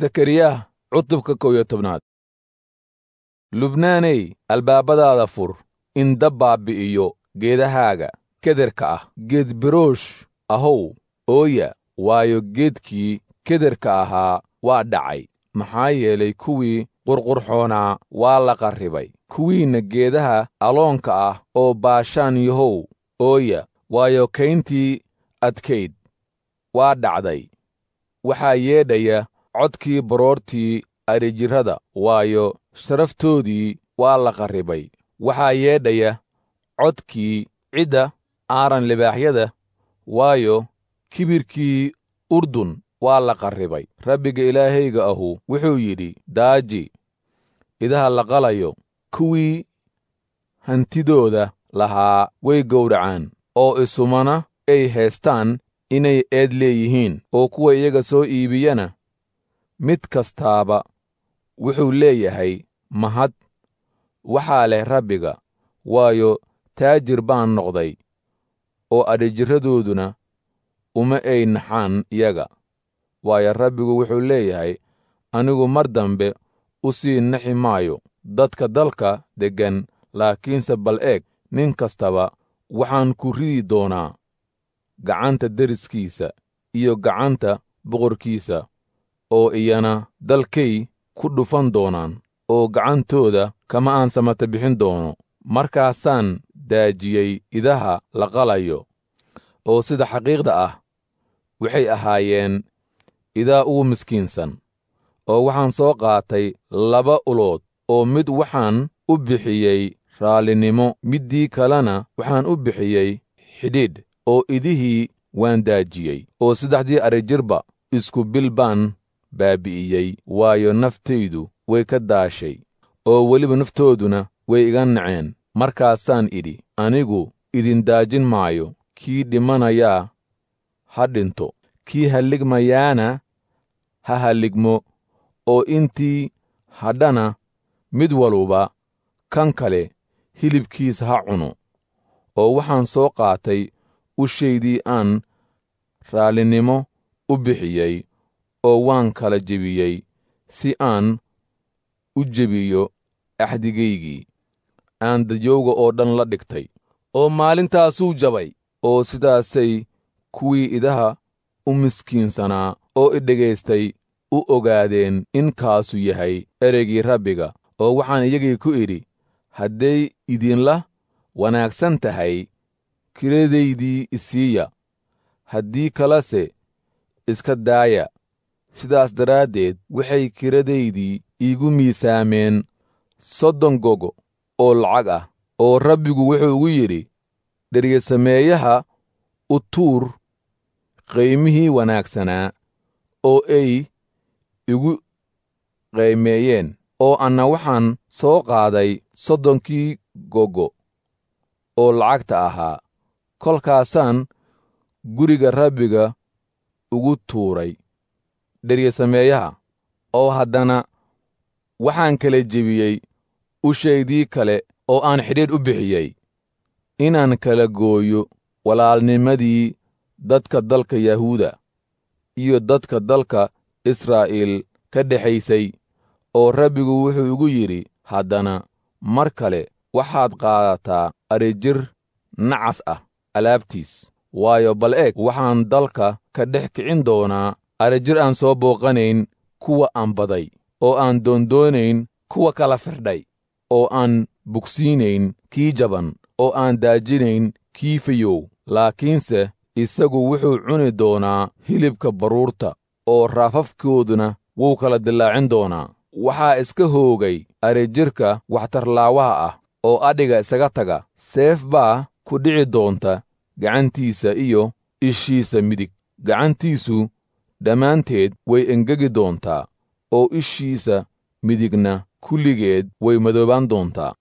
Sakariyah cutubka 11aad. Lubnaaney, albaabadaada fur, in dab baabbi'iyo geedahaaga kederka ah. Geed biroosh ahow, ooya, waayo geedkii kederka ahaa waa dhacay, maxaa yeelay kuwii qurqurxoonaa waa la qarribay. Kuwiinna geedaha aloonka ah oo Baashaan yahow, ooya, waayo kayntii adkayd waa dhacday. Waxaa yeedhaya codkii baroortii adhijirrada, waayo sharaftoodii waa la qarribay. Waxaa yeedhaya codkii cidda aaran libaaxyada, waayo kibirkii Urdun waa la qarribay. Rabbiga Ilaahayga ahu wuxuu yidhi: Daaji idaha la qalayo, kuwii hantidooda lahaa way gowracaan, oo isumana ay haystaan inay eed leeyihiin, oo kuwa iyaga soo iibiyana mid kastaaba wuxuu leeyahay mahad waxaa leh Rabbiga, waayo taajir baan noqday, oo adhijirradooduna uma ay naxaan iyaga. Waayo Rabbigu wuxuu leeyahay: Anigu mar dambe u sii naxi maayo dadka dalka deggan, laakiinse bal eeg, nin kastaba waxaan ku ridi doonaa gacanta deriskiisa iyo gacanta boqorkiisa, oo iyana dalkay ku dhufan doonaan, oo gacantooda kama aan samata bixin doono. Markaasaan daajiyey idaha la qalayo, oo sida xaqiiqda ah waxay ahaayeen idaa ugu miskiinsan. Oo waxaan soo qaatay laba ulood, oo mid waxaan u bixiyey raallinimo, middii kalena waxaan u bixiyey xidhiidh, oo idihii waan daajiyey, oo saddexdii adhijirba isku bil baan baabi'iyey, waayo naftaydu way ka daashay, oo weliba naftooduna way iga naceen. Markaasaan idhi: Anigu idin daajin maayo, kii dhimanayaa ha dhinto, kii halligmayaana ha halligmo, oo intii hadhana mid waluba kan kale hilibkiisa ha cuno. Oo waxaan soo qaatay ushaydii aan raallinimo u bixiyey, oo waan kala jebiyey si aan u jebiyo axdigaygii aan dadyowga oo dhan la dhigtay. Oo maalintaasuu jabay, oo sidaasay kuwii idaha u miskiinsanaa oo i dhegaystay u ogaadeen in kaasu yahay ereygii Rabbiga. Oo waxaan iyagii ku idhi: Hadday idinla wanaagsan tahay, kiradaydii isiiya, haddii kalese iska daaya. Sidaas daraaddeed waxay kiradaydii iigu miisaameen 30 gogo oo lacag ah. Oo Rabbigu wuxuu igu yidhi: Dheryasameeyaha u tuur qaymihii wanaagsanaa oo ay igu qaymeeyeen. Oo anna waxaan soo qaaday 30kii gogo oo lacagta ahaa, kolkaasaan guriga Rabbiga ugu tuuray dheryasameeyaha. Oo haddana waxaan kala jebiyey ushaydii kale oo aan xidhiidh u bixiyey, inaan kala gooyo walaalnimadii dadka dalka Yahuuda iyo dadka dalka Israa'iil ka dhexaysay. Oo Rabbigu wuxuu igu yidhi haddana mar kale: Waxaad qaadataa adhijir nacas ah alaabtiis, waayo bal eeg, waxaan dalka ka dhex kicin doonaa adhijir aan soo booqanayn kuwa aan baday, oo aan doondoonayn kuwa kala firdhay, oo aan bugsiinayn kii jaban, oo aan daajinayn kii fayow. Laakiinse isagu wuxuu cuni doonaa hilibka baruurta, oo raafafkooduna wuu kala dillaacin doonaa. Waxaa iska hoogay adhijirka waxtarlaawaha ah oo adhiga isaga taga. Seef baa ku dhici doonta gacantiisa iyo ishiisa midig. Gacantiisu dhammaanteed way engegi doontaa, oo ishiisa midigna kulligeed way madoobaan doontaa.